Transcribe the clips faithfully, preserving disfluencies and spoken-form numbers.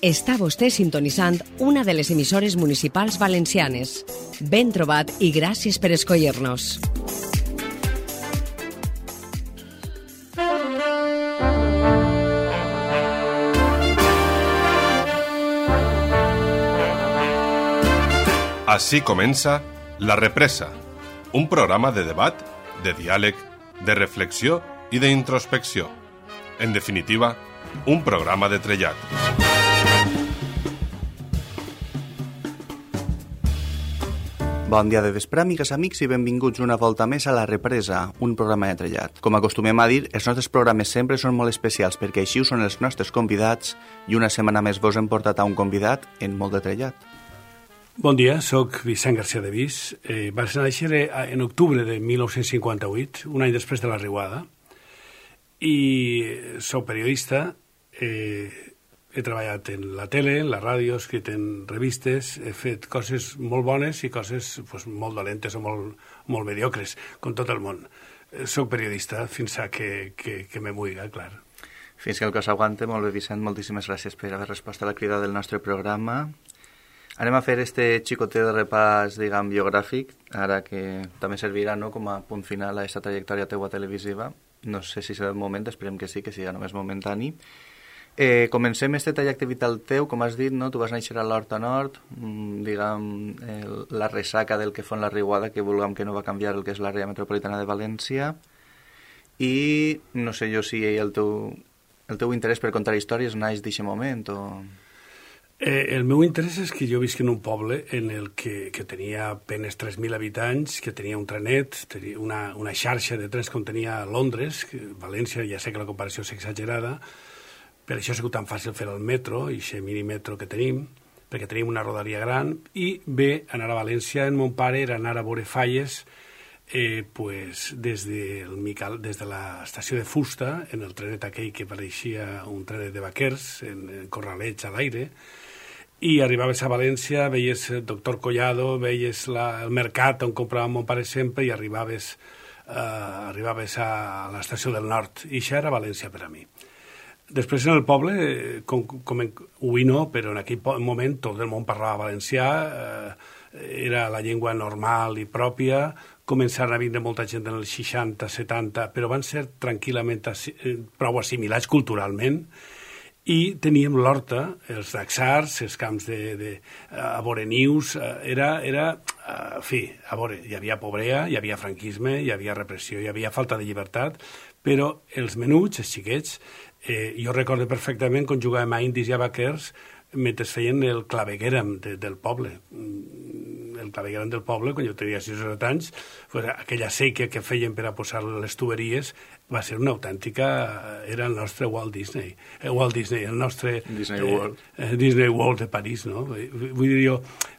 Està vostè sintonitzant una de les emissores municipals valencianes. Ben trobat i gràcies per escollir-nos. Així comença La Represa, un programa de debat, de diàleg, de reflexió i d'introspecció. En definitiva, un programa de trellat. Bon dia de vespre, amigues, amics, i benvinguts una volta més a La Represa, un programa de trellat. Com acostumem a dir, els nostres programes sempre són molt especials perquè així ho són els nostres convidats i una setmana més vos hem portat a un convidat en molt de trellat. Bon dia, sóc Vicent García de Vis. Eh, vaig néixer en octubre de mil nou-cents cinquanta-vuit, un any després de la Riuada, i sóc periodista. Eh, he treballat en la tele, en la ràdio, he escrit en revistes, he fet coses molt bones i coses pues, molt dolentes o molt, molt mediocres, com tot el món. Eh, soc periodista fins a que, que, que me muiga, clar. Fins que el cos aguante. Molt bé, Vicent, moltíssimes gràcies per haver respost a la crida del nostre programa. Anem a fer este xicotet de repàs, diguem, biogràfic, ara que també servirà, no?, com a punt final a aquesta trajectòria teua televisiva. No sé si serà el moment, esperem que sí, que siga només momentani. Eh, comencem este trajecte vital teu, com has dit, no? Tu vas néixer a l'Horta Nord, mmm, diguem, el, la ressaca del que fon la Riuada, que vulguem que no va canviar el que és l'àrea metropolitana de València, i no sé jo si el teu, el teu interès per contar històries naix d'aquest moment o... Eh, el meu interès és que jo visc en un poble en el que, que tenia apenas tres mil habitants, que tenia un trenet, tenia una, una xarxa de trens com tenia Londres, que València, ja sé que la comparació és exagerada, per això ha sigut tan fàcil fer el metro, i aquest minimetro que tenim, perquè tenim una rodalia gran, i bé, anar a València, en mon pare, era anar a veure falles, eh, pues, des de, el Mical, des de l'estació de Fusta, en el trenet aquell que pareixia un trenet de vaquers, en, en corralets a l'aire, i arribaves a València, veies el doctor Collado, veies la, el mercat on comprava mon pare sempre i arribaves, uh, arribaves a l'estació del Nord. I això era València per a mi. Després en el poble, com, com en, avui no, però en aquell moment tot el món parlava valencià, uh, era la llengua normal i pròpia, començaren a vindre molta gent en els seixanta, setanta, però van ser tranquil·lament prou assimilats culturalment, i teníem l'horta, els daxars, els camps de, de, a veure nius, era, era, en fi, a veure, hi havia pobrea, hi havia franquisme, hi havia repressió, hi havia falta de llibertat, però els menuts, els xiquets, eh, jo recordo perfectament quan jugàvem a indis i a vaquers mentre feien el clavegueram de, del poble. El clavegueram del poble, quan jo tenia sis o set anys, pues, aquella sèquia que feien per a posar les tuberies va ser una autèntica... Era el nostre Walt Disney. Eh, Walt Disney, el nostre... Disney World. Eh, eh, Disney World de París, no? Vull dir jo,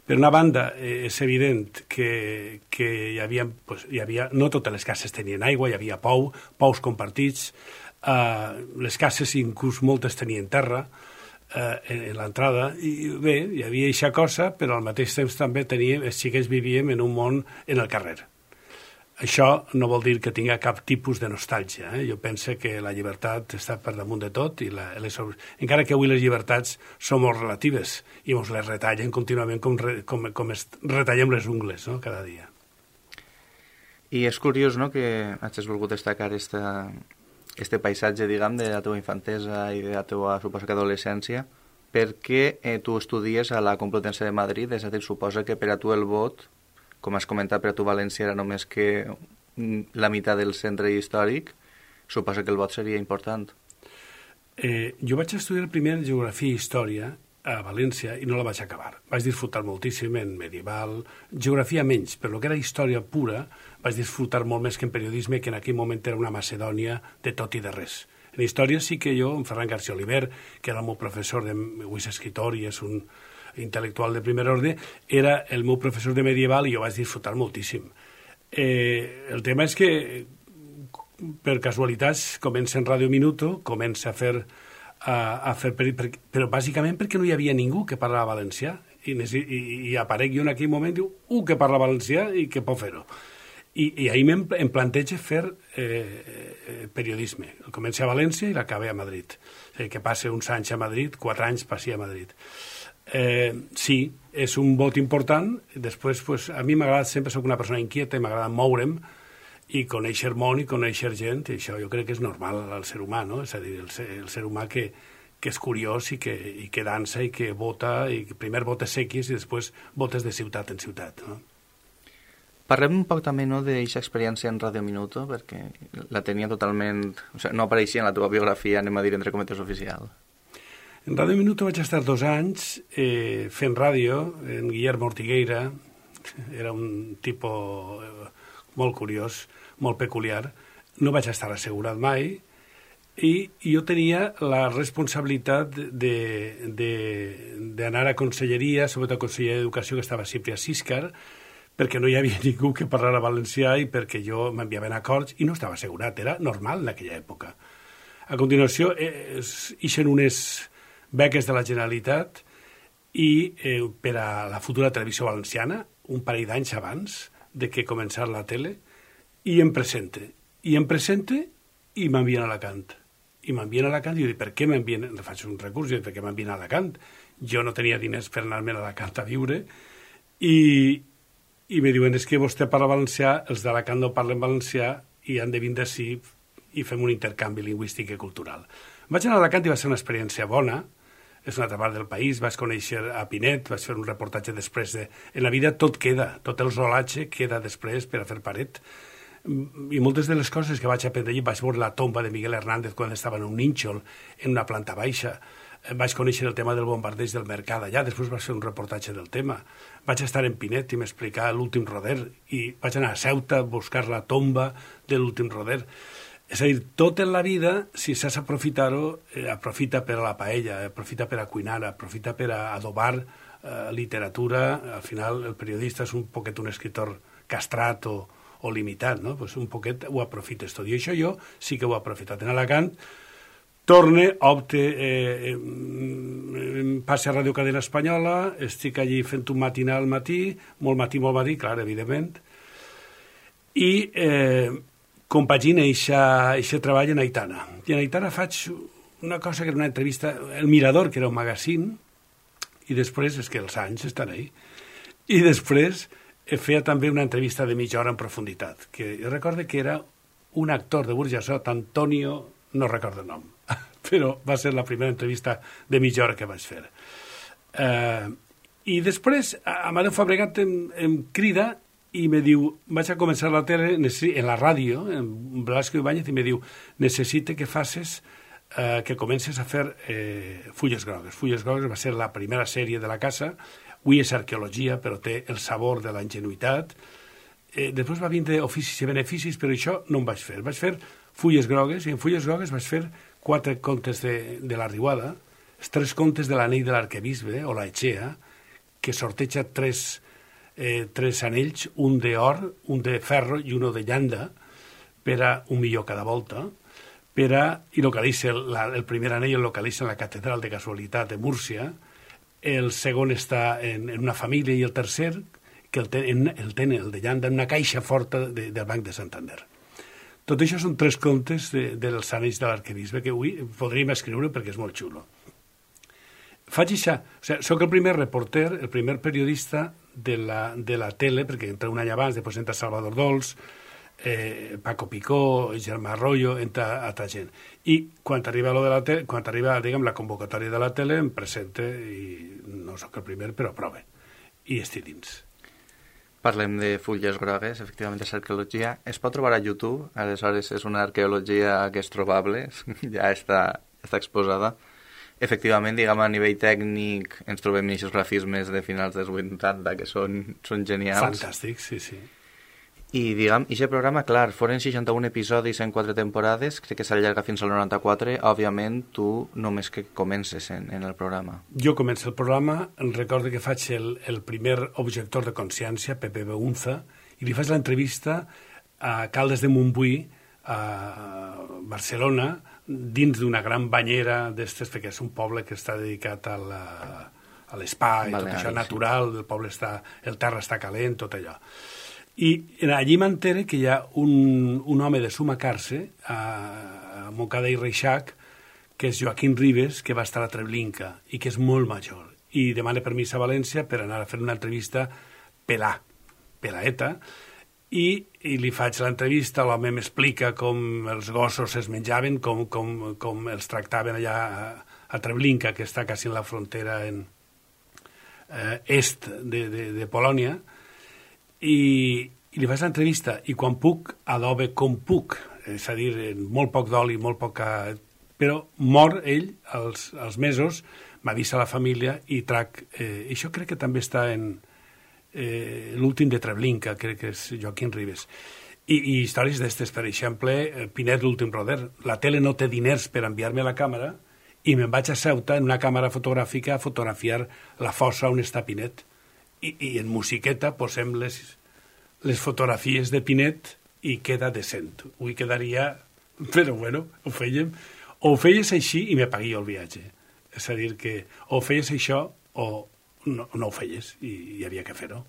per una banda, eh, és evident que, que hi havia, pues, hi havia... No totes les cases tenien aigua, hi havia pou, pous compartits, eh, les cases inclús moltes tenien terra, Uh, en, en l'entrada, i bé, hi havia eixa cosa, però al mateix temps també teníem, els xiquets vivíem en un món en el carrer. Això no vol dir que tinga cap tipus de nostàlgia, eh? Jo penso que la llibertat està per damunt de tot, i la, les, encara que avui les llibertats són molt relatives i ens les retallen contínuament com, re, com, com es retallem les ungles, no?, cada dia. I és curiós, no?, que hagis volgut destacar esta... este paisatge, diguem, de la teva infantesa i de la teva, suposo que, adolescència, perquè eh, tu estudies a la Complutense de Madrid, és a dir, suposa que per a tu el vot, com has comentat, per a tu València era només que la meitat del centre històric, suposa que el vot seria important. Eh, jo vaig estudiar primer Geografia i Història a València i no la vaig acabar. Vaig disfrutar moltíssim en medieval, geografia menys, però el que era història pura vaig disfrutar molt més que en periodisme, que en aquell moment era una Macedònia de tot i de res. En història sí que jo, en Ferran García Oliver, que era el meu professor, de, avui és escritor i és un intel·lectual de primer ordre, era el meu professor de medieval i jo vaig disfrutar moltíssim. Eh, el tema és que, per casualitats, comença en Radio Minuto, comença a fer a, a fer per, per, però bàsicament perquè no hi havia ningú que parlava valencià i, i, i aparec jo en aquell moment i diu, uh, que parla valencià i que pot fer-ho. I, i ahir em, em planteja fer eh, eh, periodisme. Comencé a València i l'acabé a Madrid. eh, que passe uns anys a Madrid, quatre anys passi a Madrid. Eh, sí, és un vot important. Després, pues, a mi m'ha agradat, sempre soc una persona inquieta i m'agrada moure'm i conèixer món i conèixer gent, i això jo crec que és normal al ser humà, no? És a dir, el ser, el ser humà que, que és curiós i que, i que dansa i que vota, i que primer votes sequis i després votes de ciutat en ciutat, no? Parlem un poc també, no, d'aquesta experiència en Radio Minuto, perquè la tenia totalment... O sigui, no apareixia en la teva biografia, anem a dir, entre cometes, oficial. En Radio Minuto vaig estar dos anys eh, fent ràdio, en Guillermo Ortigueira, era un tipus eh, molt curiós, molt peculiar. No vaig estar assegurat mai, i jo tenia la responsabilitat d'anar a conselleria, sobretot a Conselleria d'Educació, que estava sempre a Siscar, perquè no hi havia ningú que parlara valencià i perquè jo m'enviaven acords i no estava assegurat, era normal en aquella època. A continuació, eh, ixen unes beques de la Generalitat i eh, per a la futura televisió valenciana, un parell d'anys abans de que començar la tele, i em presente. I em presente i m'envien a Alacant. I m'envien a Alacant i jo dic, per què m'envien? Faig un recurs i dic, per què m'envien a Alacant? Jo no tenia diners per anar-me'n a Alacant a viure i... I me diuen, és que vostè parla valencià, els d'Alacant no parlen valencià i han de vindre així i fem un intercanvi lingüístic i cultural. Vaig anar a Alacant i va ser una experiència bona, és una altra part del país, vaig conèixer a Pinet, vaig fer un reportatge després de... En la vida tot queda, tot el rodatge queda després per a fer paret. I moltes de les coses que vaig aprendre allí, vaig veure la tomba de Miguel Hernández quan estava en un nínxol, en una planta baixa, vaig conèixer el tema del bombardeig del mercat allà, després vaig fer un reportatge del tema. Vaig estar en Pinet i m'explicar l'últim roder i vaig anar a Ceuta a buscar la tomba de l'últim roder. És a dir, tot en la vida, si saps aprofitar-ho, eh, aprofita per a la paella, aprofita per a cuinar, aprofita per a adobar eh, literatura. Al final, el periodista és un poquet un escritor castrat o, o limitat, no? Pues un poquet ho aprofites tot. I això jo sí que ho he aprofitat. En Alacant, torne, opte, eh, eh, passe a Ràdio Cadena Espanyola, estic allí fent un matinal al matí, molt matí, molt matí, clar, evidentment, i eh, compagina aquest treball en Aitana. I en Aitana faig una cosa que era una entrevista, El Mirador, que era un magazín, i després, és que els anys estan ahí, i després feia també una entrevista de mitja hora en profunditat, que jo recordo que era un actor de Burjassot, Antonio, no recordo el nom, però va ser la primera entrevista de mitja hora que vaig fer. Eh, I després, Amadeu Fabregat em, em crida i me diu, vaig a començar la tele, en la ràdio, en Blasco Ibáñez, i me diu, necessite que facis, eh, que comences a fer eh, Fulles Grogues. Fulles Grogues va ser la primera sèrie de la casa, avui és arqueologia, però té el sabor de la ingenuïtat. Eh, després va vindre oficis i beneficis, però això no em vaig fer. Vaig fer Fulles Grogues, i en Fulles Grogues vaig fer quatre contes de, de la Riuada, els tres contes de l'anell de l'arquebisbe, o la Echea, que sorteja tres, eh, tres anells, un d'or, un de ferro i un de llanda, per a un milió cada volta, per a, i localitza, la, el primer anell el localitza en la catedral de casualitat de Múrcia, el segon està en, en una família, i el tercer, que el tenen, el, ten, el de llanda, en una caixa forta de, del Banc de Santander. Tot això són tres contes de, dels anells de l'arquebisbe que avui podríem escriure perquè és molt xulo. Faig això, o sigui, soc el primer reporter, el primer periodista de la, de la tele, perquè entra un any abans, després entra Salvador Dols, eh, Paco Picó, Germà Arroyo, entra altra gent. I quan arriba, lo de la tele, quan arriba diguem, la convocatòria de la tele, em presente i no sóc el primer, però prove. I estic dins. Parlem de Fulles Grogues, efectivament és arqueologia. Es pot trobar a YouTube, aleshores és una arqueologia que és trobable, ja està, està exposada. Efectivament, diguem, a nivell tècnic ens trobem aquests grafismes de finals dels vuitanta que són, són genials. Fantàstic, sí, sí. I, diguem, aquest programa, clar, foren seixanta-un episodis en quatre temporades, crec que s'allarga fins al noranta-quatre. Òbviament, tu només que comences en, en el programa. Jo començo el programa, recordo que faig el, el primer objector de consciència, Pepe Beunza, i li faig l'entrevista a Caldes de Montbui, a Barcelona, dins d'una gran banyera d'estes, perquè és un poble que està dedicat a la, a l'espai, tot això natural, el poble està, el terra està calent, tot allò. I allí m'entere que hi ha un, un home de Sumacarse, a, a Moncada i Reixac, que és Joaquín Ribes, que va estar a Treblinka i que és molt major. I demana permís a València per anar a fer una entrevista pelà, pelaeta, i, i li faig l'entrevista, l'home m'explica com els gossos es menjaven, com, com, com els tractaven allà a, a Treblinka, que està quasi en la frontera en, eh, est de, de, de Polònia, i, i li faig l'entrevista, i quan puc, adobe com puc, és a dir, molt poc d'oli, molt poca... Però mor ell als, als mesos, m'avisa la família i trac... Eh, això crec que també està en eh, l'últim de Treblinka, crec que és Joaquín Ribes. I, i històries d'estes, per exemple, Pinet, l'últim roder. La tele no té diners per enviar-me a la càmera i me'n vaig a Ceuta en una càmera fotogràfica a fotografiar la fossa on està Pinet. I, i en musiqueta posem les, les fotografies de Pinet i queda decent. Avui quedaria... Però bueno, ho fèiem... O ho feies així i me paguia el viatge. És a dir, que o feies això o no, no ho feies i hi havia que fer-ho.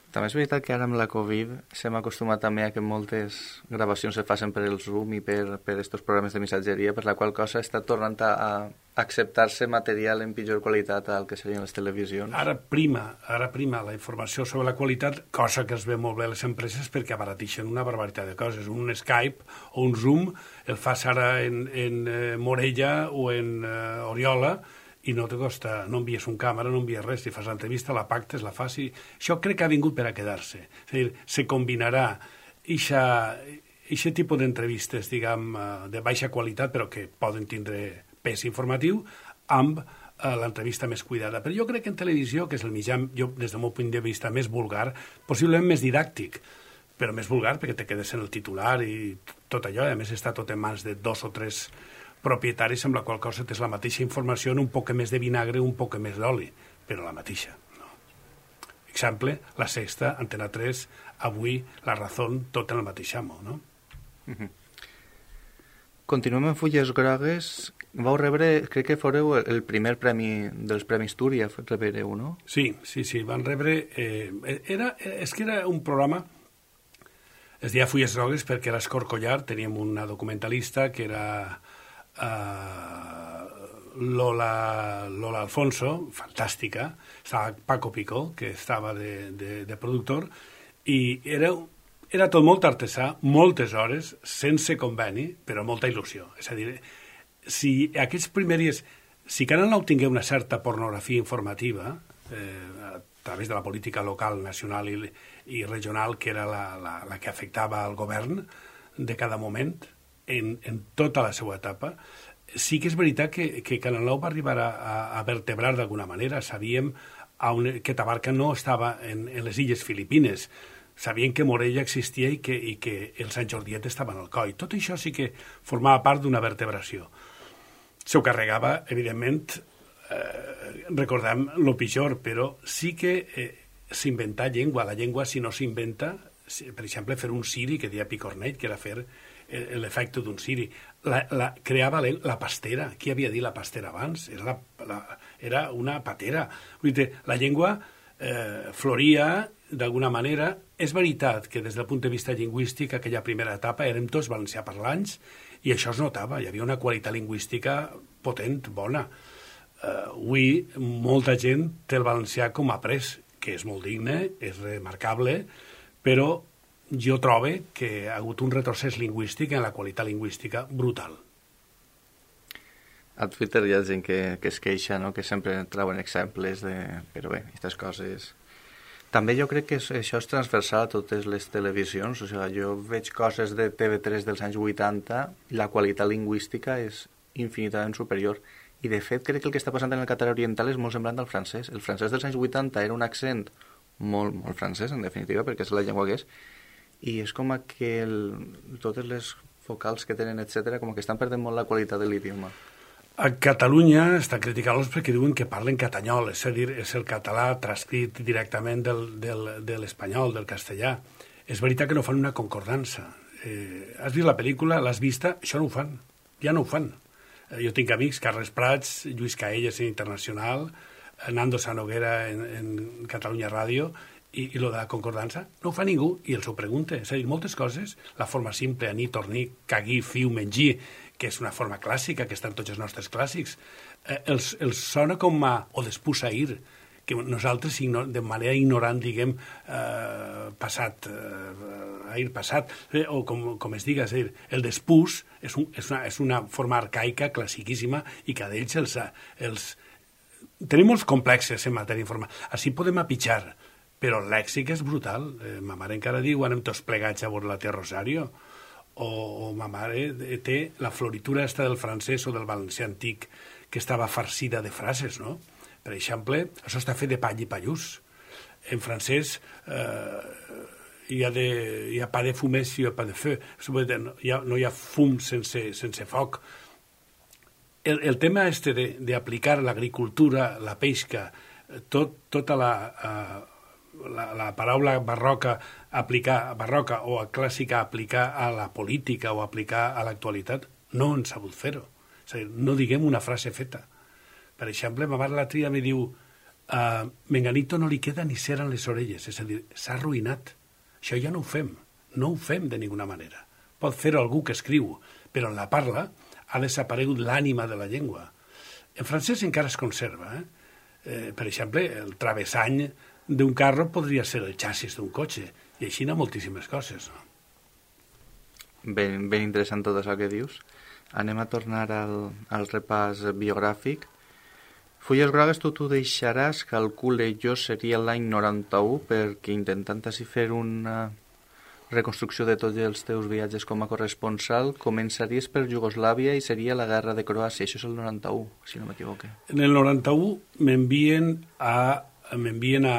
També és veritat que ara amb la Covid s'hem acostumat també a que moltes gravacions se facin per el Zoom i per, per estos programes de missatgeria, per la qual cosa està tornant a, a acceptar-se material en pitjor qualitat al que serien les televisions. Ara prima, ara prima la informació sobre la qualitat, cosa que es ve molt bé a les empreses perquè abaratixen una barbaritat de coses. Un Skype o un Zoom el fas ara en, en eh, Morella o en eh, Oriola i no te costa, no envies un càmera, no envies res, si fas l'entrevista, la pactes, la fas i... Això crec que ha vingut per a quedar-se. És a dir, se combinarà aquest tipus d'entrevistes, diguem, de baixa qualitat, però que poden tindre pes informatiu, amb eh, l'entrevista més cuidada. Però jo crec que en televisió, que és el mitjà, jo, des del meu punt de vista, més vulgar, possiblement més didàctic, però més vulgar perquè te quedes en el titular i tot allò, i a més està tot en mans de dos o tres propietaris, amb la qual cosa tens la mateixa informació en un poc més de vinagre, un poc més d'oli, però la mateixa. No? Exemple, La Sexta, Antena tres, avui La Razón, tot en el mateix amo, no? Uh-huh. Continuem en Fulles Grogues. Vau rebre, crec que foreu el primer premi dels Premis Túria, rebreu, no? Sí, sí, sí, van rebre... Eh, era, és que era un programa... Es deia Fulles Grogues perquè era Escorcollar, teníem una documentalista que era... Uh, Lola, Lola Alfonso, fantàstica, estava Paco Picó, que estava de, de, de productor, i era, era tot molt artesà, moltes hores, sense conveni, però molta il·lusió. És a dir, si aquests primers... Si Canal nou tingué una certa pornografia informativa, eh, a través de la política local, nacional i, i regional, que era la, la, la que afectava al govern de cada moment, En, en tota la seva etapa, sí que és veritat que, que Canal nou va arribar a, a vertebrar d'alguna manera. Sabíem on, que Tabarca no estava en, en les illes Filipines, sabien que Morella existia i que, i que el Sant Jordiet estava en el coll. Tot això sí que formava part d'una vertebració. S'ho carregava, evidentment, eh, recordem lo pitjor, però sí que eh, s'inventa llengua. La llengua, si no s'inventa, per exemple, fer un siri que deia Picornell, que era fer l'efecte d'un siri. La, la, creava la, la pastera. Qui havia dit la pastera abans? Era, la, la, era una patera. Vull dir, la llengua eh, floria d'alguna manera. És veritat que des del punt de vista lingüístic aquella primera etapa érem tots valencià parlants i això es notava. Hi havia una qualitat lingüística potent, bona. Eh, avui molta gent té el valencià com a après, que és molt digne, és remarcable, però jo trobo que ha hagut un retrocés lingüístic en la qualitat lingüística brutal. A Twitter hi ha gent que, que es queixa, no? Que sempre trauen exemples de... Però bé, aquestes coses... També jo crec que això és transversal a totes les televisions. O sigui, jo veig coses de T V tres dels anys vuitanta i la qualitat lingüística és infinitament superior. I de fet crec que el que està passant en el català oriental és molt semblant al francès. El francès dels anys vuitanta era un accent molt, molt francès, en definitiva, perquè és la llengua que és, i és com que el, totes les vocals que tenen, etcètera, com que estan perdent molt la qualitat de l'idioma. A Catalunya estan criticant-los perquè diuen que parlen catanyol, és a dir, és el català transcrit directament del, del, de l'espanyol, del castellà. És veritat que no fan una concordança. Eh, has vist la pel·lícula, l'has vista? Això no ho fan, ja no ho fan. Eh, jo tinc amics, Carles Prats, Lluís Caelles en Internacional, Nando Sanoguera en, en Catalunya Ràdio, i, i lo de la concordança no ho fa ningú i els ho pregunta. És a dir, moltes coses, la forma simple, anir, tornir, caguir, fiu, mengir, que és una forma clàssica, que està en tots els nostres clàssics, eh, els, els sona com a... o despús-ahir, que nosaltres de manera ignorant, diguem, eh, passat, eh, ahir passat, eh, o com, com es diga, és dir, el despús és, un, és, una, és una forma arcaica, classiquíssima, i que d'ells els, els... Tenim molts complexes en matèria informàtica. Així podem apitjar, però el lèxic és brutal. Eh, ma mare encara diu, anem tots plegats a veure la tia Rosario, o, o ma mare té la floritura esta del francès o del valencià antic, que estava farcida de frases, no? Per exemple, això està fet de pall i pallús. En francès eh, hi, ha de, hi ha pas de fumée si hi ha pas de feu. Hi ha, no hi ha fum sense, sense foc. El, el tema este d'aplicar l'agricultura, la pesca, tot, tota la, uh, la, la paraula barroca, aplicar, barroca o clàssica aplicar a la política o aplicar a l'actualitat, no han sabut fer-ho. És a dir, no diguem una frase feta. Per exemple, ma mare l'altre dia me diu uh, Menganito no li queda ni cera en les orelles, és a dir, s'ha arruïnat. Això ja no ho fem, no ho fem de ninguna manera. Pot fer-ho algú que escriu, però en la parla ha desaparegut l'ànima de la llengua. En francès encara es conserva. Eh? Eh, per exemple, el travessany d'un carro podria ser el xassis d'un cotxe, i així n'hi ha moltíssimes coses. No? Ben, ben interessant tot això que dius. Anem a tornar al, al repàs biogràfic. Fulles grogues, tu t'ho deixaràs, calcule jo seria l'any noranta-u, perquè intentant així fer una reconstrucció de tots els teus viatges com a corresponsal, començaries per Iugoslàvia i seria la guerra de Croàcia. Això és el noranta-u, si no m'equivoque. En el noranta-u m'envien a, m'envien a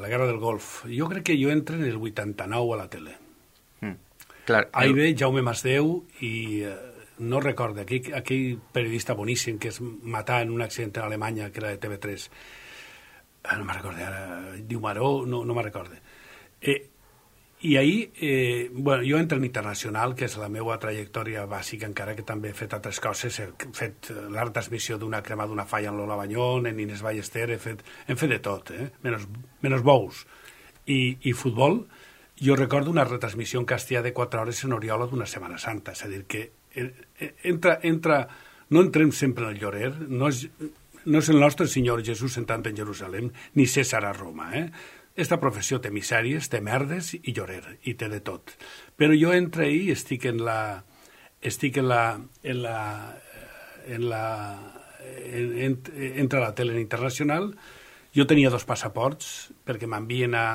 la guerra del Golf. Jo crec que jo entro en el vuitanta-nou a la tele. Mm. Clar, ahí ve Jaume Masdeu i... Eh, no recordo, aquell, aquell periodista boníssim que es matà en un accident a Alemanya, que era de T V tres. Ah, no me'n recordo ara, diu Maró, no, no me'n recordo. Eh, I ahir, eh, bueno, jo entro en Internacional, que és la meva trajectòria bàsica, encara que també he fet altres coses, he fet la transmissió d'una crema d'una falla en Lola Banyón, en Inés Ballester, he fet, hem fet de tot, eh? menys, menys bous. I, I futbol, jo recordo una retransmissió en castellà de quatre hores en Oriola d'una Setmana Santa, és a dir, que entra, entra, no entrem sempre en el llorer, no és, no és el nostre Senyor Jesús sentant en Jerusalem, ni César a Roma. Eh? Esta professió té misèries, té merdes i llorer, i té de tot. Però jo entre ahí estic en la... estic en la... en la... en la en, en, entre la tele internacional. Jo tenia dos passaports, perquè m'envien a...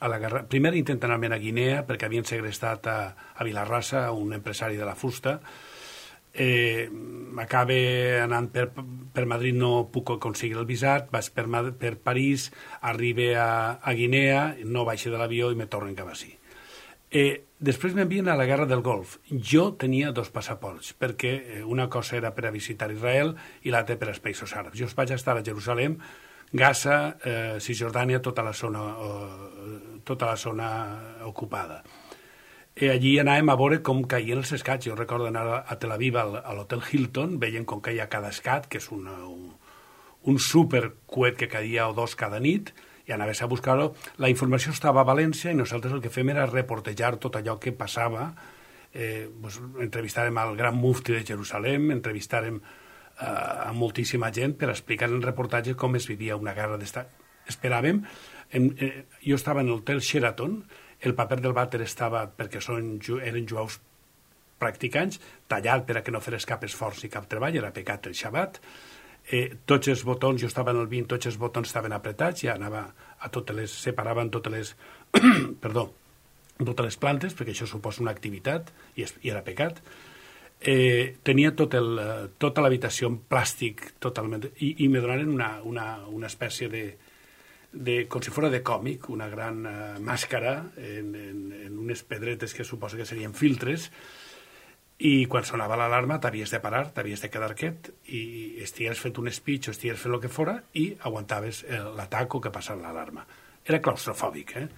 a la guerra. Primer intenten anar a Guinea perquè havien segrestat a, a Vilarrasa, un empresari de la fusta. Eh, acabe anant per, per Madrid, no puc aconseguir el visat, vaig per, per París, arribe a, a Guinea, no baixo de l'avió i me tornen cap així. Eh, després m'envien a la guerra del Golf. Jo tenia dos passaports, perquè una cosa era per a visitar Israel i l'altra per als països àrabs. Jo vaig estar a Jerusalem, Gaza, eh, Cisjordània, tota la zona, eh, tota la zona ocupada. I allí anàvem a veure com caien els escats. Jo recordo anar a Tel Aviv al, a l'Hotel Hilton, veient com caia cada escat, que és una, un, un supercoet que caia o dos cada nit, i anaves a buscar-ho. La informació estava a València i nosaltres el que fem era reportejar tot allò que passava. Eh, pues, entrevistàrem al gran mufti de Jerusalem, entrevistàrem a moltíssima gent per explicar en reportatge com es vivia una guerra d'estat. Esperàvem, en, eh, jo estava en l'hotel Sheraton, el paper del vàter estava, perquè són, eren jueus practicants, tallat per a que no feres cap esforç i cap treball, era pecat el xabat. Eh, tots els botons, jo estava en el vint, tots els botons estaven apretats, ja anava a totes les, separaven totes les, perdó, totes les plantes, perquè això suposa una activitat i, es, i era pecat. Eh, tenia tot el, tota l'habitació en plàstic totalment, i, i me donaren una, una, una espècie de, de, com si fos de còmic, una gran uh, màscara en, en, en unes pedretes que suposa que serien filtres, i quan sonava l'alarma t'havies de parar, t'havies de quedar quiet i estigués fet un speech o estigués fet el que fora i aguantaves l'atac o que passava l'alarma. Era claustrofòbic, eh?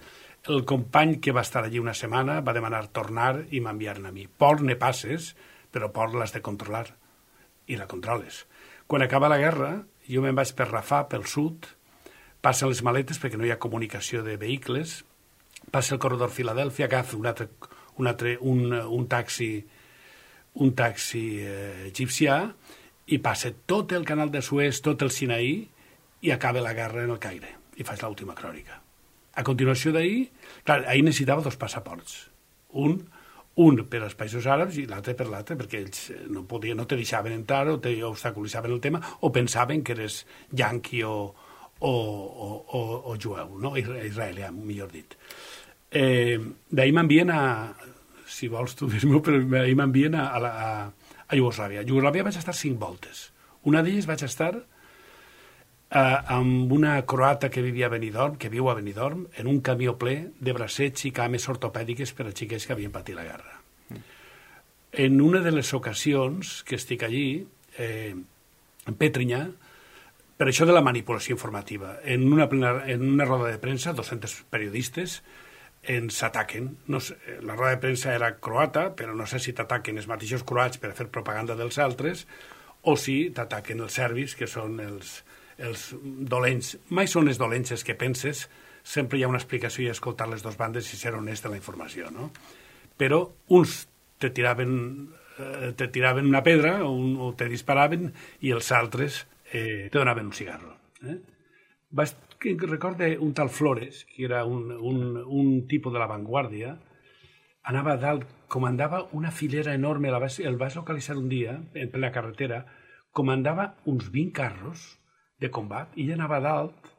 El company que va estar allí una setmana va demanar tornar i m'enviar-ne a mi. Por ne passes, però por l'has de controlar, i la controles. Quan acaba la guerra, jo me'n vaig per Rafah, pel sud, passen les maletes perquè no hi ha comunicació de vehicles, passa el corredor Filadèlfia, agafa un, altre, un, altre, un, un taxi un taxi eh, egipcià i passa tot el canal de Suez, tot el Sinaí, i acaba la guerra en el Caire. I faig l'última crònica. A continuació d'ahir, clar, ahir necessitava dos passaports. Un, un per als països àrabs i l'altre per l'altre, perquè ells no, podien, no te deixaven entrar o te obstaculitzaven el tema o pensaven que eres yanqui o, o, o, o, o jueu, no? Israelià, millor dit. Eh, d'ahir m'envien a... Si vols tu dir-m'ho, però ahir m'envien a, a, a, a Iugoslàvia. A Iugoslàvia vaig estar cinc voltes. Una d'elles vaig estar eh, amb una croata que vivia a Benidorm, que viu a Benidorm, en un camió ple de bracets i cames ortopèdiques per a xiquets que havien patit la guerra. Mm. En una de les ocasions que estic allí, eh, en Pétrinha, per això de la manipulació informativa, en una, plena, en una roda de premsa, dos-cents periodistes ens ataquen. No sé, la roda de premsa era croata, però no sé si t'ataquen els mateixos croats per fer propaganda dels altres o si t'ataquen els serbis, que són els, els dolents. Mai són les dolents que penses, sempre hi ha una explicació i escoltar les dues bandes i ser honest en la informació, no? Però uns te tiraven, eh, te tiraven una pedra o, un, o te disparaven i els altres eh, te donaven un cigarro. Eh? Vaig recorde un tal Flores, que era un, un, un tipus de l'avantguàrdia, anava a dalt, comandava una filera enorme, la vas, el vas localitzar un dia, en plena carretera, comandava uns vint carros de combat, i ell anava a dalt,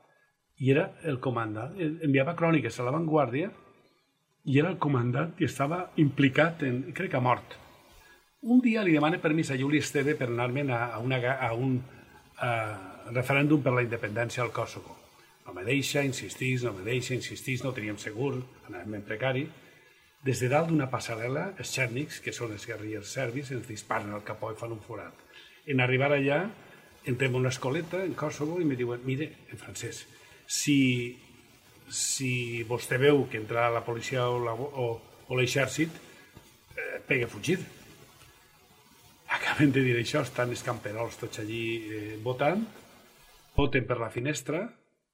i era el comandant, enviava cròniques a l'avantguàrdia, i era el comandant i estava implicat, en, crec que mort. Un dia li demana permís a Juli Esteve per anar-me'n a, a, una, a un a, referèndum per la independència al Kosovo. No me deixa, insistís, no me deixa, insistís, no teníem segur, anàvem en precari. Des de dalt d'una passarel·la, els txèrnics, que són els guerrillers serbis, ens disparen al capó i fan un forat. En arribar allà, entrem a una escoleta, en Kosovo, i me diuen, mire, en francès, si, si vostè veu que entra la policia o, la, o, o l'exèrcit, eh, pegue fugir. Acaben de dir això, estan els camperols tots allí eh, votant, voten per la finestra,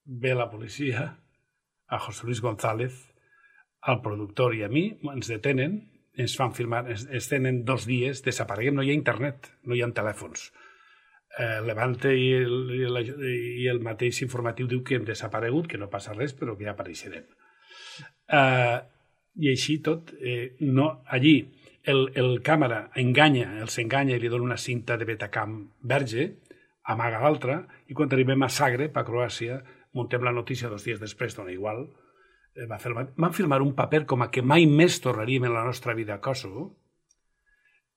ve la policia, a José Luis González, al productor i a mi, ens detenen, ens fan firmar, ens, ens tenen dos dies, desapareguem, no hi ha internet, no hi ha telèfons. Eh, Levante i el, i, el, i el mateix informatiu diu que hem desaparegut, que no passa res, però que ja apareixerem. Eh, I així tot, eh, no, allí el, el càmera enganya, els enganya i li dona una cinta de Betacam verge, amaga l'altra, i quan arribem a Zagreb, a Croàcia, muntem la notícia dos dies després, dona igual, eh, va fer, van filmar un paper com a que mai més tornaríem en la nostra vida a Kosovo,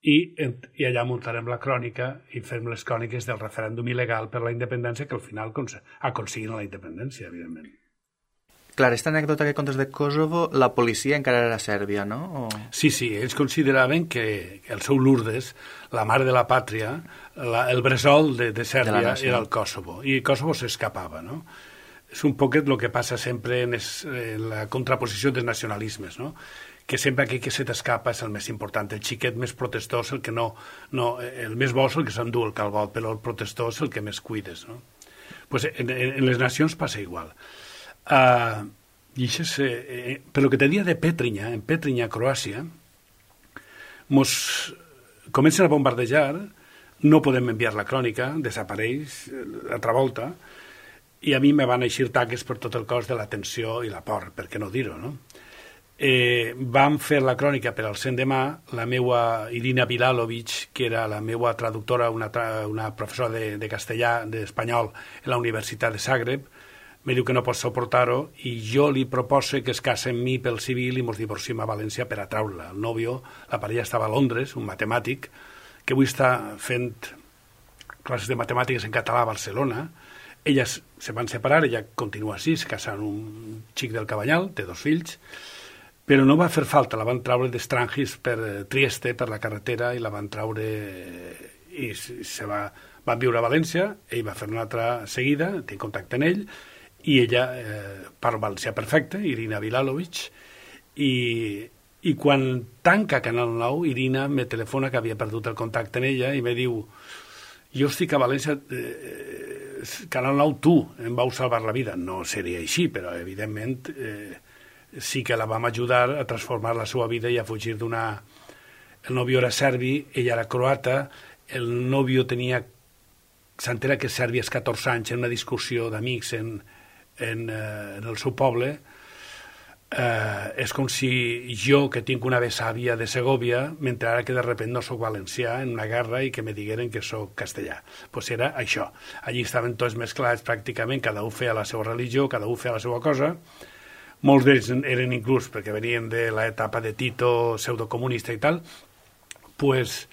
i, i allà muntarem la crònica i fem les cròniques del referèndum il·legal per la independència, que al final aconseguin la independència, evidentment. Clar, aquesta anècdota que contes de Kosovo, la policia encara era Sèrbia, no? O... Sí, sí, ells consideraven que el seu Lourdes, la mare de la pàtria, la, el bressol de, de Sèrbia de era el Kosovo, i Kosovo s'escapava, no? És un poquet el que passa sempre en, es, en la contraposició dels nacionalismes, no? Que sempre aquell que se t'escapa és el més important, el xiquet més protestós, el que no, no el més bo és el que s'endú el calbot, però el protestós és el que més cuides, no? Pues en, en les nacions passa igual. Uh, i això és, eh, per lo que te dia de Pétrinha, en Pétrinha, Croàcia, mos comencen a bombardejar, no podem enviar la crònica, desapareix l'altra volta, i a mi me van eixir taques per tot el cos de la tensió i la por, per què no dir-ho, no? Eh, vam fer la crònica per al cent de mà, la meua Irina Bilalovic, que era la meua traductora, una, tra una professora de, de castellà, d'espanyol, en la Universitat de Zagreb, me diu que no pot suportar-ho i jo li propose que es casa amb mi pel civil i mos divorciem a València per atraure-la. El nòvio, la parella estava a Londres, un matemàtic, que avui està fent classes de matemàtiques en català a Barcelona. Elles se van separar, ella continua així, se casa amb un xic del Cabanyal, té dos fills, però no va fer falta, la van traure d'Estrangis per Trieste, per la carretera, i la van traure i se va, van viure a València, ell va fer una altra seguida, tinc contacte amb ell, i ella eh, parla valencià perfecte, Irina Bilalovic, i, i quan tanca Canal nou, Irina me telefona que havia perdut el contacte amb ella i me diu, jo estic a València, eh, Canal nou, tu em vau salvar la vida. No seria així, però evidentment eh, sí que la vam ajudar a transformar la seva vida i a fugir d'una... el novio era serbi, ella era croata, el novio tenia, s'entera que Sèrbia és catorze anys en una discussió d'amics en, en, eh, en el seu poble. Eh, és com si jo, que tinc una besàvia de Segòvia, m'entrara que de repente no sóc valencià en una guerra i que me digueren que sóc castellà. Pues era això. Allí estaven tots mesclats pràcticament, cada un feia la seva religió, cada un feia la seva cosa. Molts d'ells eren inclús, perquè venien de l'etapa de Tito, pseudocomunista i tal, pues,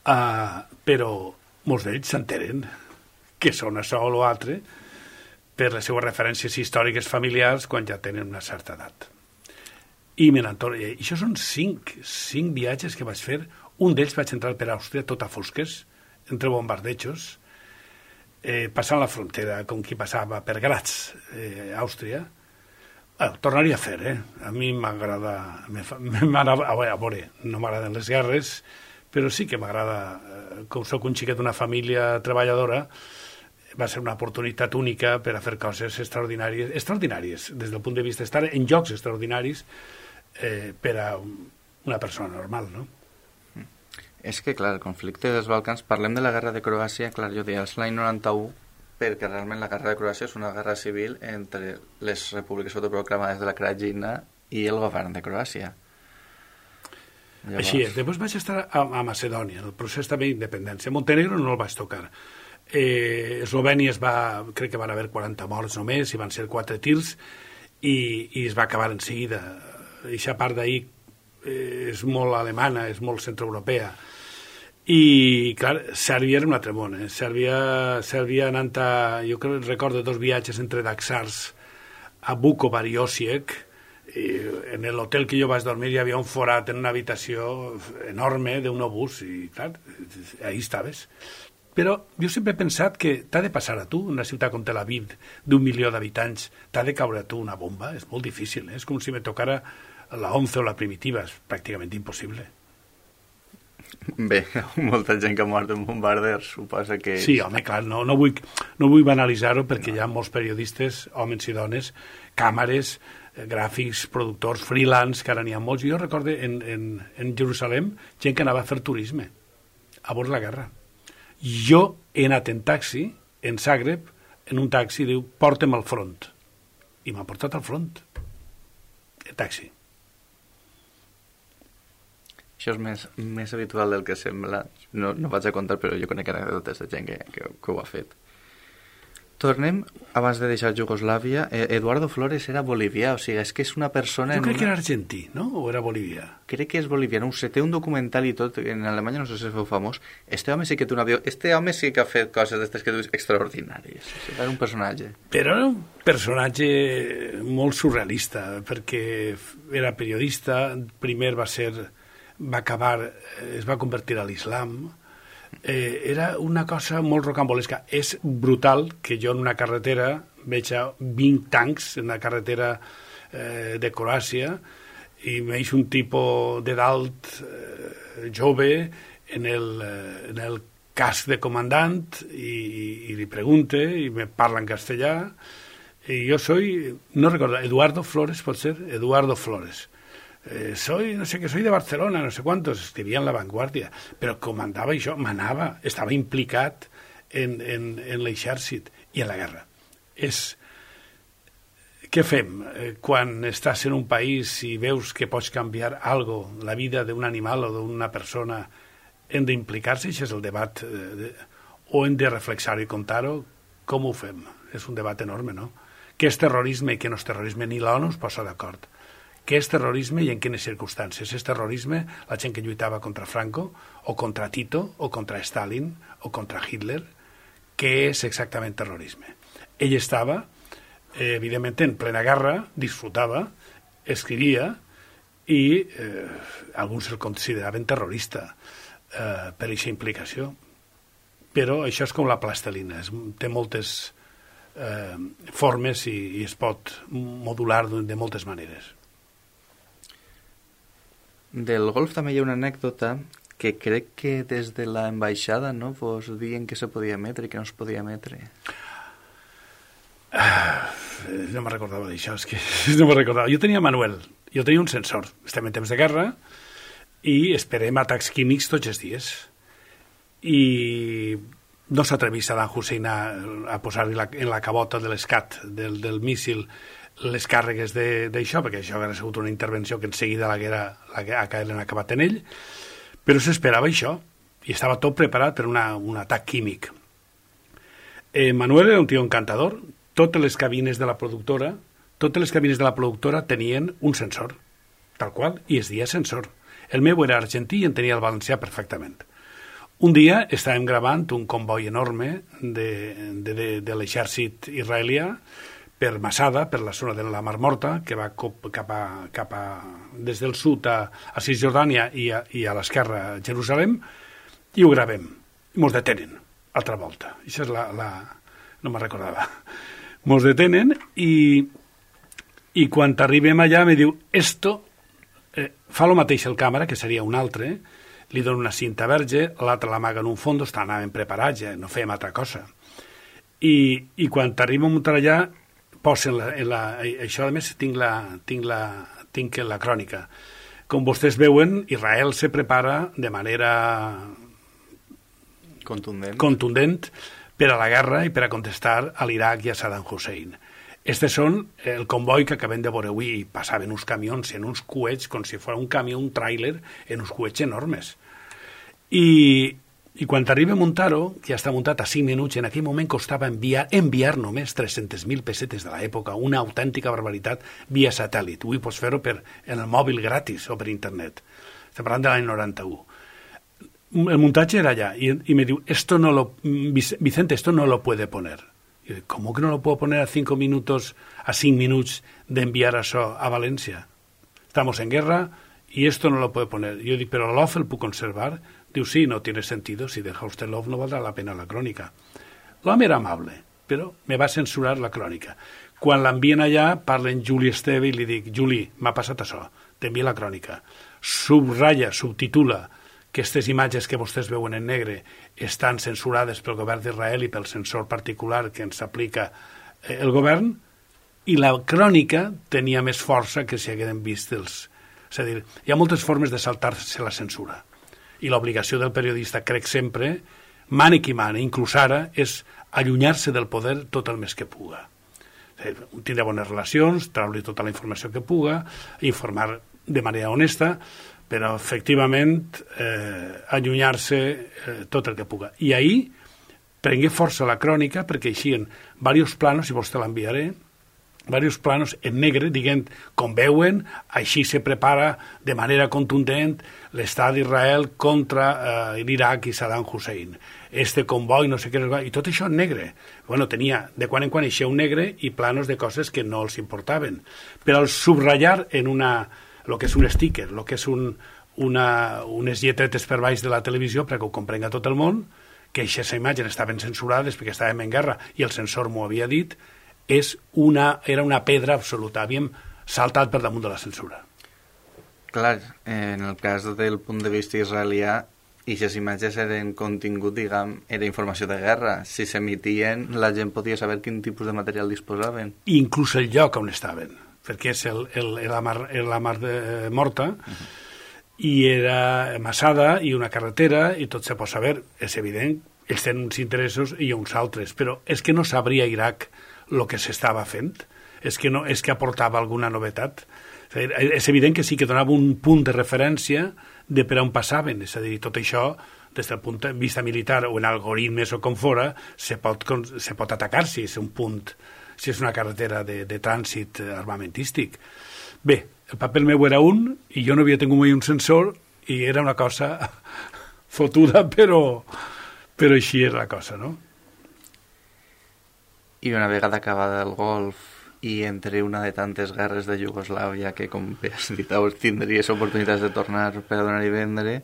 uh, però molts d'ells s'enteren que són això o l'altre per les seues referències històriques familiars quan ja tenen una certa edat. I me n'entorno. I això són cinc, cinc viatges que vaig fer. Un d'ells vaig entrar per Àustria, tot a fosques, entre bombardejos, eh, passant la frontera, com qui passava per Graz, eh, Àustria. Bueno, tornaria a fer, eh? A mi m'agrada... m'agrada a veure, no m'agraden les guerres, però sí que m'agrada, eh, com soc un xiquet d'una família treballadora, va ser una oportunitat única per a fer coses extraordinàries, extraordinàries, des del punt de vista d'estar en llocs extraordinaris eh, per a una persona normal, no? És que, clar, el conflicte dels Balcans, parlem de la guerra de Croàcia, clar, jo deia, és l'any noranta-u, perquè realment la guerra de Croàcia és una guerra civil entre les repúbliques autoproclamades de la Krajina i el govern de Croàcia. Llavors... Així és. Després vaig estar a, a Macedònia, en el procés també d'independència. Montenegro no el vaig tocar. Eh, Eslovènia es va, crec que van haver quaranta morts només, i van ser quatre tirs, i, i es va acabar en seguida. Eixa part d'ahir eh, és molt alemana, és molt centroeuropea. I, clar, Sèrbia era un altre món. Eh? Sèrbia, Sèrbia anant a... Jo crec, recordo dos viatges entre Daksars a Vukovar i Osijek. I en l'hotel que jo vaig dormir hi havia un forat en una habitació enorme d'un obús, i clar, ahí estaves. Però jo sempre he pensat que t'ha de passar a tu, una ciutat com Tel Aviv, d'un milió d'habitants, t'ha de caure a tu una bomba, és molt difícil, eh? És com si me tocara la once o la primitiva, és pràcticament impossible. Bé, molta gent que ha mort en bombarders, suposa que... Sí, home, clar, no, no vull, no vull banalitzar-ho perquè no. Hi ha molts periodistes, homes i dones, càmeres, gràfics, productors, freelance, que ara n'hi ha molts. Jo recordo en, en, en Jerusalem gent que anava a fer turisme a bord la guerra. Jo he anat en taxi, en Zagreb, en un taxi, diu, porta'm al front. I m'ha portat al front. En taxi. Això és més, més habitual del que sembla. No, no vaig a contar, però jo conec anècdotes de gent que, que, que ho ha fet. Tornem, abans de deixar Jugoslàvia, Eduardo Flores era bolivià, o sigui, és que és una persona... Jo crec una... que era argentí, no? O era bolivià? Crec que és bolivià, no ho sé, té un documental i tot, en Alemanya no sé si es feu famós. Este home sí que té una avió, este home sí que ha fet coses d'estes que dius extraordinàries. O sigui, era un personatge. Però era un personatge molt surrealista, perquè era periodista, primer va ser... va acabar, es va convertir a l'islam... Eh, era una cosa molt rocambolesca. És brutal que jo en una carretera veig vint tancs en una carretera eh, de Croàcia i veig un tipus de dalt eh, jove en el, eh, en el casc de comandant i, i li pregunte i me parla en castellà i jo soy, no recordo, Eduardo Flores, pot ser? Eduardo Flores. Eh, soy, no sé qué, soy de Barcelona, no sé cuántos, escrivia en La Vanguardia, però comandava això, manava, estava implicat en, en, en l'exèrcit i en la guerra. És... Què fem eh, quan estàs en un país i veus que pots canviar algo, la vida d'un animal o d'una persona, hem d'implicar-se? Això és el debat, eh, de, o hem de reflexar-ho i contar-ho? Com ho fem? És un debat enorme, no? Què és terrorisme i què no és terrorisme? Ni l'ONU es posa d'acord. Què és terrorisme i en quines circumstàncies? És terrorisme la gent que lluitava contra Franco, o contra Tito, o contra Stalin, o contra Hitler? Què és exactament terrorisme? Ell estava, eh, evidentment, en plena guerra, disfrutava, escrivia, i eh, alguns el consideraven terrorista eh, per aquesta implicació. Però això és com la plastelina, és, té moltes eh, formes i, i es pot modular de moltes maneres. Del golf també hi ha una anècdota que crec que des de l'ambaixada, no, vos diuen que se podia emetre i que no es podia emetre. Ah, no me recordava d'això, és que no me recordava. Jo tenia Manuel, jo tenia un sensor, estem en temps de guerra, i esperem atacs químics tots els dies. I no s'atrevís Saddam Hussein a, a posar-hi en la cabota de l'escat del, del míssil les càrregues d'això, perquè això hauria sigut una intervenció que en seguida l'haguera acabat en ell, però s'esperava això, i estava tot preparat per una, un atac químic. Eh, Manuel era un tio encantador. Totes les cabines de la productora totes les cabines de la productora tenien un sensor, tal qual, i es deia sensor. El meu era argentí i en tenia el valencià perfectament. Un dia estàvem gravant un comboi enorme de, de, de, de l'exèrcit israelià per Masada, per la zona de la Mar Morta, que va cap a, cap a, des del sud a, a Cisjordània i a, i a l'esquerra a Jerusalem, i ho gravem. I mos detenen, altra volta. Això és la... la... no me'n recordava. Mos detenen i, i quan arribem allà me diu, esto, eh, fa el mateix el càmera, que seria un altre, li dona una cinta verge, l'altre l'amaga en un fons, estàvem preparats, ja, no fèiem altra cosa. I, i quan arribem a muntar allà, posen la, la, això a més tinc la, tinc la, tinc la crònica. Com vostès veuen, Israel se prepara de manera contundent, contundent per a la guerra i per a contestar a l'Iraq i a Saddam Hussein. Estes són el comboi que acabem de veure avui, i passaven uns camions en uns coets, com si fos un camió, un tràiler, en uns coets enormes. I, i quan arriba a muntar-ho, que ja està muntat a cinc minuts, en aquell moment costava enviar, enviar només tres-centes mil pessetes de l'època, una autèntica barbaritat via satèl·lit. Avui pots fer-ho per, en el mòbil gratis o per internet. Estem parlant de l'any noranta-u. El muntatge era allà, i, y me diu, esto no lo, Vicente, esto no lo puede poner. Y yo, ¿cómo que no lo puedo poner a cinco minutos, a cinco minutos de enviar eso a Valencia? Estamos en guerra y esto no lo puede poner. Yo digo, ¿pero l'O F el puedo conservar? Diu, sí, no tiene sentido, si deja usted l'O F no valdrá la pena la crònica. L'home era amable, però me va censurar la crònica. Quan l'envien allà, parlen Juli Esteve i li dic, Juli, m'ha passat això, t'envia la crònica. Subratlla, subtitula, que aquestes imatges que vostès veuen en negre estan censurades pel govern d'Israel i pel censor particular que ens aplica el govern, i la crònica tenia més força que si hagueren vist els... És a dir, hi ha moltes formes de saltar-se la censura, i l'obligació del periodista, crec sempre, mane qui mane, inclús ara, és allunyar-se del poder tot el més que puga. Tindre bones relacions, treure tota la informació que puga, informar de manera honesta, però efectivament eh, allunyar-se eh, tot el que puga. I ahir prengué força la crònica perquè eixien diversos planos, i vostè l'enviaré, diversos planos en negre, diguent, com veuen, així se prepara de manera contundent l'estat d'Israel contra eh, l'Iraq i Saddam Hussein. Este comboi, no sé què, i tot això en negre. Bueno, tenia de quan en quan eixia un negre i planos de coses que no els importaven. Però al subratllar en una... el que és un sticker, el que és un, una, unes lletretes per baix de la televisió perquè ho comprenga tot el món, que aquestes imatges estaven censurades perquè estàvem en guerra i el censor m'ho havia dit, és una, era una pedra absoluta. Havíem saltat per damunt de la censura. Clar, en el cas del punt de vista israelià, aquestes imatges eren contingut, diguem, era informació de guerra. Si s'emitien, la gent podia saber quin tipus de material disposaven. I inclús el lloc on estaven, perquè és el, el, la mar, la mar de, eh, morta, uh-huh. I era Masada i una carretera, i tot se pot saber. És evident, ells tenen uns interessos i uns altres, però és que no sabria Iraq el que s'estava fent, és que, no, és que aportava alguna novetat. És, a dir, és evident que sí que donava un punt de referència de per on passaven, és a dir, tot això, des del punt de vista militar o en algoritmes o com fora, se pot, se pot atacar si és un punt, si és una carretera de, de trànsit armamentístic. Bé, el paper meu era un, i jo no havia tingut mai un sensor, i era una cosa fotuda, però, però així era la cosa, no? I una vegada acabada el Golf i entre una de tantes guerres de Iugoslàvia que, com bé has dit, tindries oportunitats de tornar per a donar i vendre,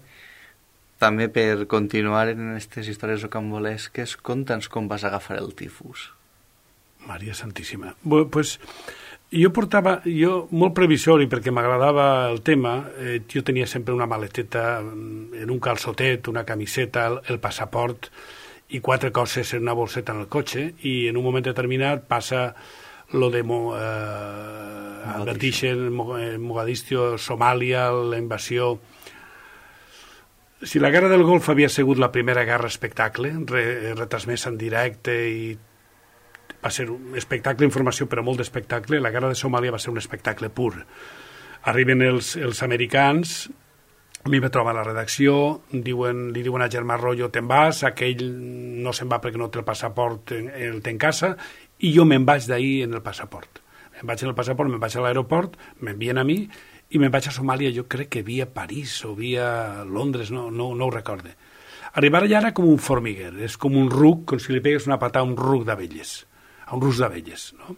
també per continuar en aquestes històries rocambolesques, conta'ns com vas agafar el tifus. Maria Santíssima. Bé, pues, jo portava, jo molt previsori perquè m'agradava el tema, eh, jo tenia sempre una maleteta en un calçotet, una camiseta, el, el passaport i quatre coses en una bolseta en el cotxe, i en un moment determinat passa lo de Mo, eh, advertixen Mogadiscio, Somàlia, la invasió si la Guerra del Golf havia sigut la primera guerra espectacle, re, retransmesa en directe i va ser un espectacle d'informació, però molt d'espectacle, la Guerra de Somàlia va ser un espectacle pur. Arriben els, els americans, a mi me troba a la redacció, diuen, li diuen a Germà Rollo, te'n vas, aquell no se'n va perquè no té el passaport, el té en casa, i jo me'n vaig d'ahir en el passaport. Me'n vaig en el passaport, me'n vaig a l'aeroport, m'envien a mi, i me'n vaig a Somàlia, jo crec que via París o via Londres, no, no, no ho recorde. Arribar allà era com un formiguer, és com un ruc, com si li pegues una patada a un ruc d'abelles, a un rusc d'abelles, no?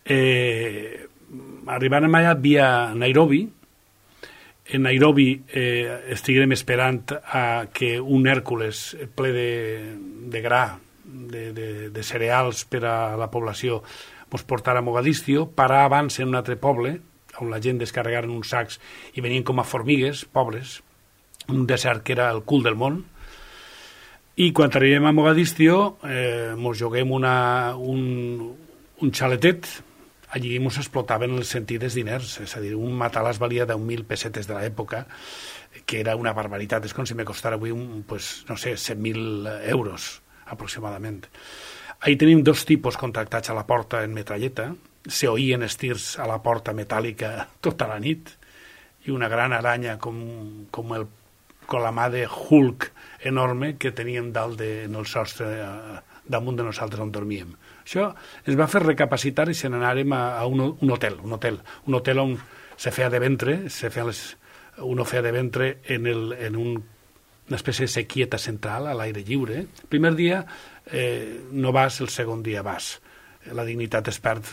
Eh, arribàrem allà via Nairobi. En Nairobi eh, estiguem esperant a que un Hèrcules ple de, de gra, de, de, de cereals per a la població, ens portara a Mogadiscio, parar abans en un altre poble, on la gent descarregaren uns sacs i venien com a formigues, pobres, un desert que era el cul del món, i quan arribem a Mogadiscio eh, mos juguem una, un, un xaletet, allí mos explotaven els sentides diners, és a dir, un matalàs valia deu mil pessetes de l'època, que era una barbaritat, és com si me costara avui, un, pues, no sé, cent mil euros aproximadament. Ahí tenim dos tipus contractats a la porta en metralleta, se oïen estirs a la porta metàl·lica tota la nit i una gran aranya com, com, el, com la mà de Hulk enorme que teníem dalt de, en el sostre eh, damunt de nosaltres on dormíem. Això ens va fer recapacitar i se n'anàrem a, a un, un hotel, un hotel, un hotel on se feia de ventre, se feia les, uno feia de ventre en, el, en un, una espècie de sequieta central a l'aire lliure. El primer dia eh, no vas, el segon dia vas. La dignitat es perd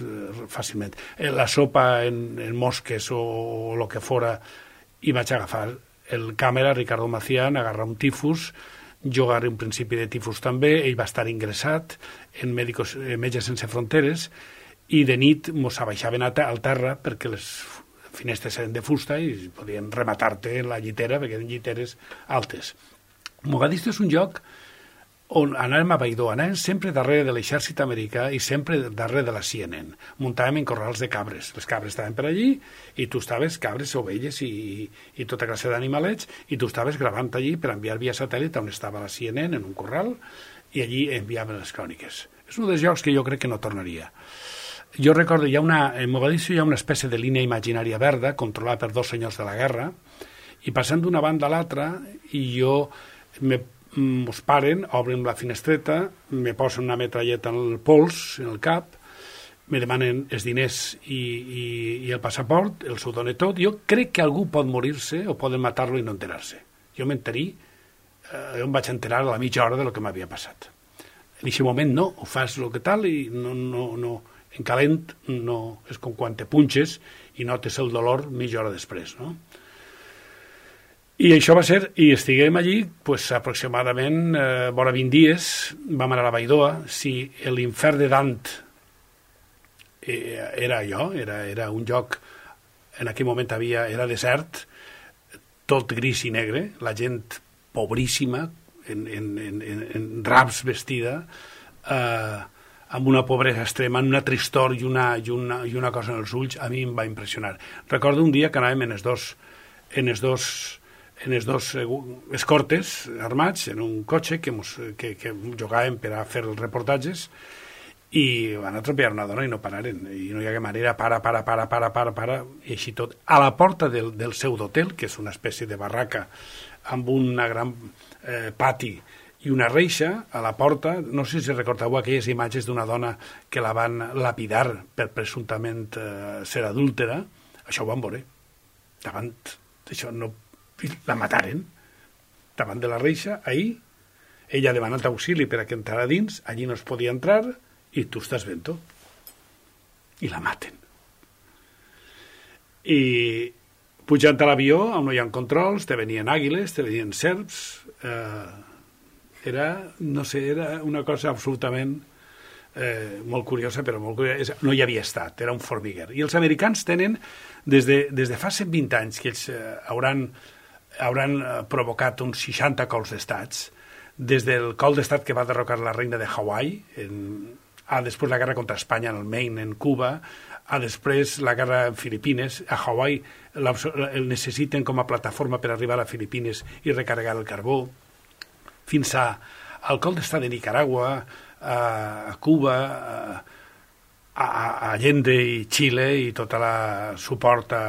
fàcilment. La sopa en, en mosques o, o el que fora, i vaig agafar el càmera, Ricardo Macián, agarrar un tifus, jo agarré un principi de tifus també, ell va estar ingressat en Médicos, eh, Metges Sense Fronteres, i de nit mos abaixaven al terra perquè les finestres eren de fusta i podien rematar-te en la llitera perquè eren lliteres altes. Mogadiscio és un lloc on anàvem a Baidó, anàvem sempre darrere de l'exèrcit americà i sempre darrere de la C N N. Muntàvem en corrals de cabres. Les cabres estaven per allí i tu estaves, cabres, ovelles i, i tota classe d'animalets, i tu estaves gravant allí per enviar via satèl·lit on estava la C N N en un corral i allí enviaven les cròniques. És un dels llocs que jo crec que no tornaria. Jo recordo, hi ha una, en Mogadiscio hi ha una espècie de línia imaginària verda controlada per dos senyors de la guerra i passant d'una banda a l'altra i jo me mos paren, obren la finestreta, me posen una metralleta en el pols, en el cap, me demanen els diners i, i, i el passaport, el s'ho dona tot. Jo crec que algú pot morir-se o poden matar-lo i no enterar-se. Jo m'enterí, eh, jo em vaig enterar a la mitja hora de lo que m'havia passat. En aquest moment no, ho fas el que tal i no, no, no, en calent no, és com quan te punxes i notes el dolor mitja hora després, no? I això va ser, i estiguem allí pues, aproximadament eh, vora vint dies, vam anar a la Baidoa. Si l'infern de Dant eh, era allò, era, era un lloc, en aquell moment havia, era desert, tot gris i negre, la gent pobríssima, en, en, en, en draps vestida, eh, amb una pobresa extrema, una tristor i una, i, una, i una cosa en els ulls, a mi em va impressionar. Recordo un dia que anàvem en els dos, en els dos en els dos escortes armats en un cotxe que, mos, que, que jugàvem per a fer els reportatges i van atropellar una dona i no pararen i no hi hagué manera, para, para, para, para, para, para i així tot. A la porta del, del seu d'hotel, que és una espècie de barraca amb una gran eh, pati i una reixa a la porta, no sé si recordeu aquelles imatges d'una dona que la van lapidar per presumptament eh, ser adúltera, això ho van veure davant d'això, no la mataren davant de la reixa, ahir ella ha demanat auxili per a que entrara dins, allí no es podia entrar i tu estàs vent-ho i la maten i pujant a l'avió on no hi ha controls, te venien àguiles, te venien serps, eh, era, no sé, era una cosa absolutament eh, molt curiosa, però molt curiosa. No hi havia estat, era un formiguer. I els americans tenen, des de, des de fa cent vint anys, que ells eh, hauran hauran provocat uns seixanta cols d'estats, des del col d'estat que va derrocar la reina de Hawaii, en, a, després la guerra contra Espanya en el Maine, en Cuba, a després la guerra en Filipines, a Hawaii el necessiten com a plataforma per arribar a Filipines i recarregar el carbó, fins a, al col d'estat de Nicaragua, a, a Cuba, a, a Allende i Xile i tot el suport a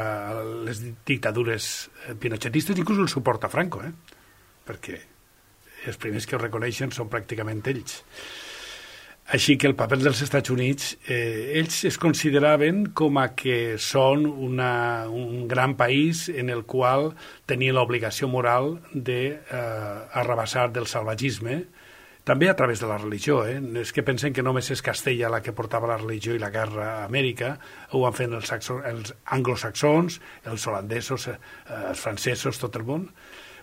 les dictadures pinochetistes, inclús el suport a Franco, eh? Perquè els primers que ho reconeixen són pràcticament ells. Així que el paper dels Estats Units, eh, ells es consideraven com a que són una, un gran país en el qual tenien l'obligació moral d'arrabassar de, eh, del salvatgisme, també a través de la religió. Eh? És que pensen que només és Castella la que portava la religió i la guerra a Amèrica, ho van fent els, els anglosaxons, els holandesos, eh, els francesos, tot el món.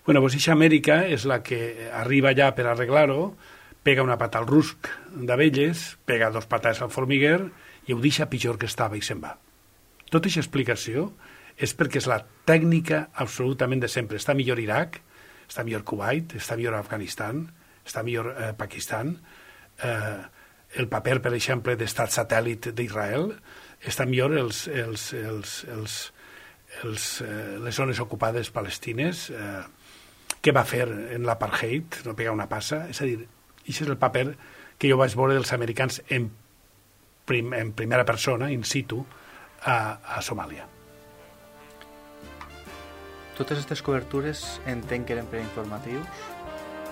Bueno, doncs aquesta Amèrica és la que arriba allà per arreglar-ho, pega una pata al rusc d'abelles, pega dos patades al formiguer i ho deixa pitjor que estava i se'n va. Tota aquesta explicació és perquè és la tècnica absolutament de sempre. Està millor Iraq, està millor Kuwait, està millor Afganistan, està millor eh, Pakistan, eh, el paper, per exemple, d'estat satèl·lit d'Israel, està millor els, els, els, els, els, eh, les zones ocupades palestines, eh, què va fer en l'apartheid, no pegar una passa, és a dir, això és el paper que jo vaig veure dels americans en, prim, en primera persona, in situ, a, a Somàlia. Totes aquestes cobertures entenc que eren preinformatius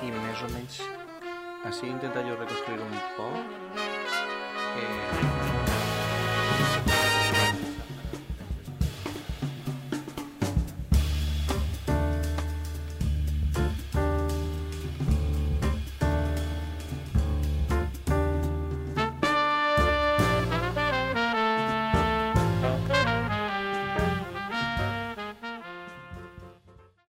i més o menys així intenta jo reconstruir un poc. Eh...